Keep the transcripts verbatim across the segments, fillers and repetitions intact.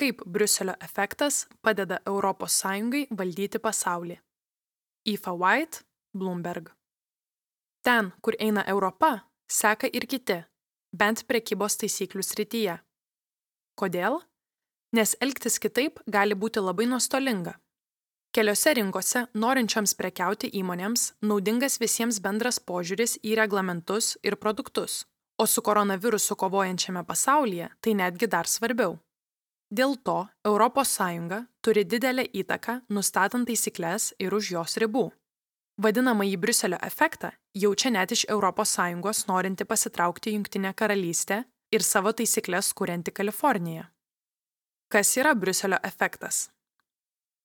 Kaip Briuselio efektas padeda Europos Sąjungai valdyti pasaulį. Aoife White, Bloomberg. Ten, kur eina Europa, seka ir kiti, bent prekybos taisyklių srityje. Kodėl? Nes elgtis kitaip gali būti labai nuostolinga. Keliose rinkose norinčioms prekiauti įmonėms naudingas visiems bendras požiūris į reglamentus ir produktus, o su koronavirusu kovojančiame pasaulyje tai netgi dar svarbiau. Dėl to Europos Sąjunga turi didelę įtaką nustatant taisykles ir už jos ribų. Vadinamąjį Briuselio efektą jaučia net iš Europos Sąjungos norinti pasitraukti Jungtinė karalystė ir savo taisykles kurianti Kalifornija. Kas yra Briuselio efektas?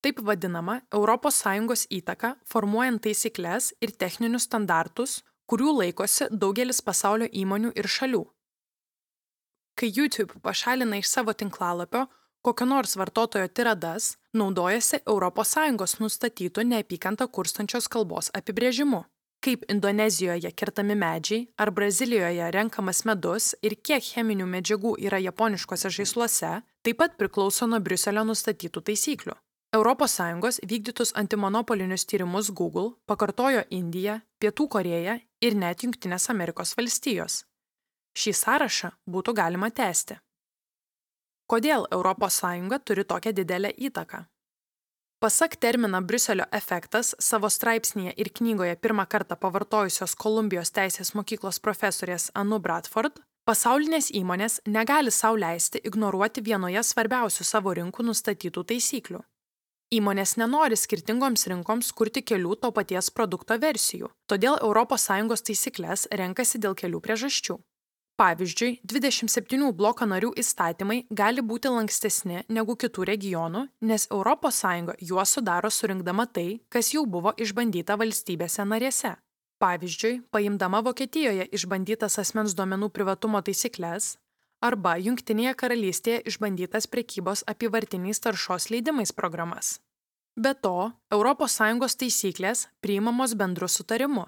Taip vadinama Europos Sąjungos įtaka formuojant taisykles ir techninius standartus, kurių laikosi daugelis pasaulio įmonių ir šalių. Kai YouTube pašalina iš savo tinklalapio kokio nors vartotojo tiradas, naudojasi Europos Sąjungos nustatytų neapykantą kurstančios kalbos apibrėžimu. Kaip Indonezijoje kertami medžiai ar Brazilijoje renkamas medus ir kiek cheminių medžiagų yra japoniškose žaisluose, taip pat priklauso nuo Briuselio nustatytų taisyklių. Europos Sąjungos vykdytus antimonopolinius tyrimus Google pakartojo Indija, Pietų Korėja ir net Jungtinės Amerikos valstijos. Šį sąrašą būtų galima tęsti. Kodėl Europos Sąjunga turi tokią didelę įtaką? Pasak terminą Briuselio efektas savo straipsnyje ir knygoje pirmą kartą pavartojusios Kolumbijos teisės mokyklos profesorės Anu Bradford, pasaulinės įmonės negali sau leisti ignoruoti vienoje svarbiausių savo rinkų nustatytų taisyklių. Įmonės nenori skirtingoms rinkoms kurti kelių to paties produkto versijų, todėl Europos Sąjungos taisykles renkasi dėl kelių priežasčių. Pavyzdžiui, dvidešimt septynių bloko narių įstatymai gali būti lankstesni negu kitų regionų, nes Europos Sąjunga juos sudaro surinkdama tai, kas jau buvo išbandyta valstybėse narėse. Pavyzdžiui, paimdama Vokietijoje išbandytas asmens duomenų privatumo taisykles arba Jungtinėje karalystėje išbandytas prekybos apyvartiniais taršos leidimais programas. Be to, Europos Sąjungos taisyklės priimamos bendru sutarimu,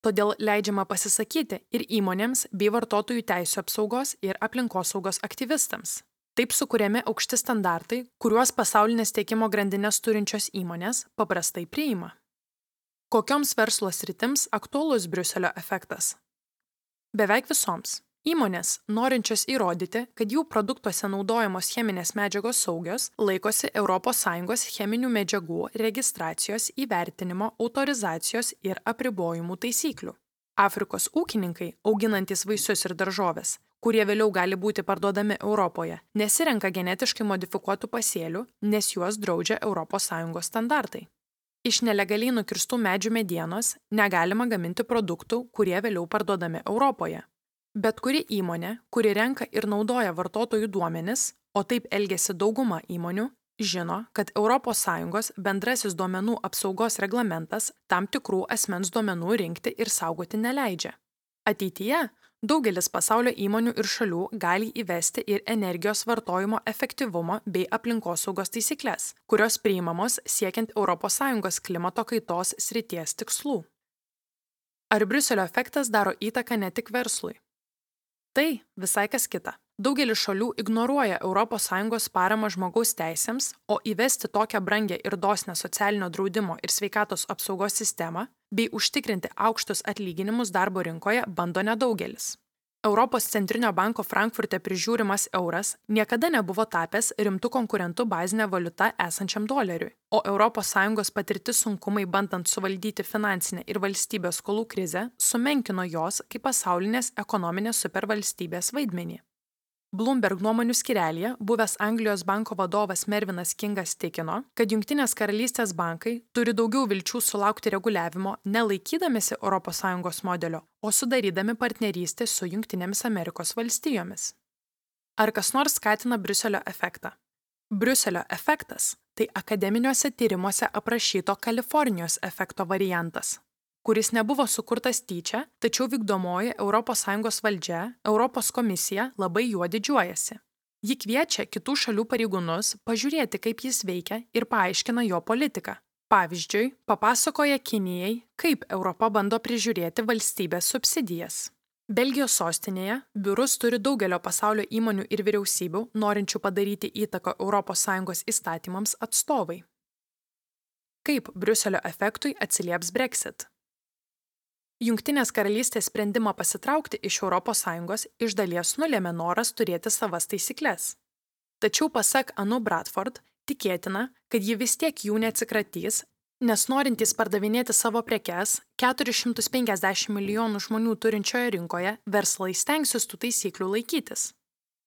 todėl leidžiama pasisakyti ir įmonėms bei vartotojų teisių apsaugos ir aplinkosaugos aktyvistams. Taip sukuriami aukšti standartai, kuriuos pasaulinės tiekimo grandines turinčios įmonės paprastai priima. Kokioms verslo sritims aktualus Briuselio efektas? Beveik visoms. Įmonės, norinčios įrodyti, kad jų produktuose naudojamos cheminės medžiagos saugios, laikosi Europos Sąjungos cheminių medžiagų registracijos, įvertinimo, autorizacijos ir apribojimų taisyklių. Afrikos ūkininkai, auginantys vaisius ir daržoves, kurie vėliau gali būti parduodami Europoje, nesirenka genetiškai modifikuotų pasėlių, nes juos draudžia Europos Sąjungos standartai. Iš nelegaliai nukirstų medžių medienos negalima gaminti produktų, kurie vėliau parduodami Europoje. Bet kuri įmonė, kuri renka ir naudoja vartotojų duomenis, o taip elgiasi dauguma įmonių, žino, kad Europos Sąjungos bendrasis duomenų apsaugos reglamentas tam tikrų asmens duomenų rinkti ir saugoti neleidžia. Ateityje daugelis pasaulio įmonių ir šalių gali įvesti ir energijos vartojimo efektyvumo bei aplinkosaugos taisykles, kurios priimamos siekiant Europos Sąjungos klimato kaitos srities tikslų. Ar Briuselio efektas daro įtaką ne tik verslui? Tai visai kas kita. Daugelis šalių ignoruoja Europos Sąjungos paramą žmogaus teisėms, o įvesti tokią brangią ir dosnią socialinio draudimo ir sveikatos apsaugos sistemą bei užtikrinti aukštus atlyginimus darbo rinkoje bando nedaugelis. Europos centrinio banko Frankfurte prižiūrimas euras niekada nebuvo tapęs rimtų konkurentų bazinė valiuta esančiam doleriui, o Europos Sąjungos patirti sunkumai bandant suvaldyti finansinę ir valstybės skolų krizę sumenkino jos kaip pasaulinės ekonominės supervalstybės vaidmenį. Bloomberg nuomonių skyrelyje buvęs Anglijos banko vadovas Mervinas Kingas tikino, kad Jungtinės karalystės bankai turi daugiau vilčių sulaukti reguliavimo nelaikydamėsi Europos Sąjungos modelio, o sudarydami partnerystę su Jungtinėmis Amerikos valstijomis. Ar kas nors skatina Briuselio efektą? Briuselio efektas – tai akademiniuose tyrimuose aprašyto Kalifornijos efekto variantas, kuris nebuvo sukurtas tyčia, tačiau vykdomoji Europos Sąjungos valdžia, Europos komisija labai juo didžiuojasi. Ji kviečia kitų šalių pareigūnus pažiūrėti, kaip jis veikia ir paaiškina jo politiką. Pavyzdžiui, papasakoja Kinijai, kaip Europa bando prižiūrėti valstybės subsidijas. Belgijos sostinėje biurus turi daugelio pasaulio įmonių ir vyriausybių, norinčių padaryti įtaką Europos Sąjungos įstatymams atstovai. Kaip Briuselio efektui atsilieps Brexit? Jungtinės karalystės sprendimą pasitraukti iš Europos Sąjungos iš dalies nulėmė noras turėti savas taisykles. Tačiau pasak Anu Bradford, tikėtina, kad ji vis tiek jų neatsikratys, nes norintys pardavinėti savo prekes keturis šimtus penkiasdešimt milijonų žmonių turinčioje rinkoje verslai stengsis tų taisyklių laikytis.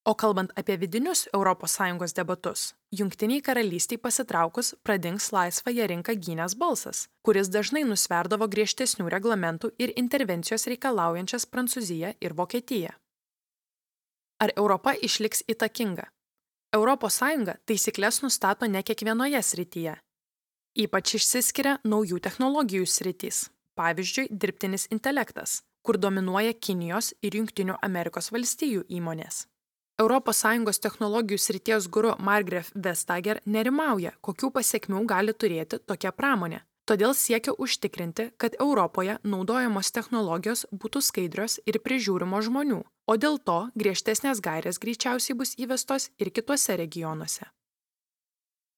O kalbant apie vidinius Europos Sąjungos debatus, Jungtiniai karalystiai pasitraukus pradings laisvąją rinką gynęs balsas, kuris dažnai nusverdavo griežtesnių reglamentų ir intervencijos reikalaujančias Prancūziją ir Vokietiją. Ar Europa išliks įtakinga? Europos Sąjunga taisykles nustato ne kiekvienoje srityje. Ypač išsiskiria naujų technologijų sritys, pavyzdžiui, dirbtinis intelektas, kur dominuoja Kinijos ir Jungtinių Amerikos valstijų įmonės. Europos Sąjungos technologijų srities guru Margrethe Vestager nerimauja, kokių pasekmių gali turėti tokia pramonė, todėl siekia užtikrinti, kad Europoje naudojamos technologijos būtų skaidrios ir prižiūrimos žmonių, o dėl to griežtesnės gairės greičiausiai bus įvestos ir kituose regionuose.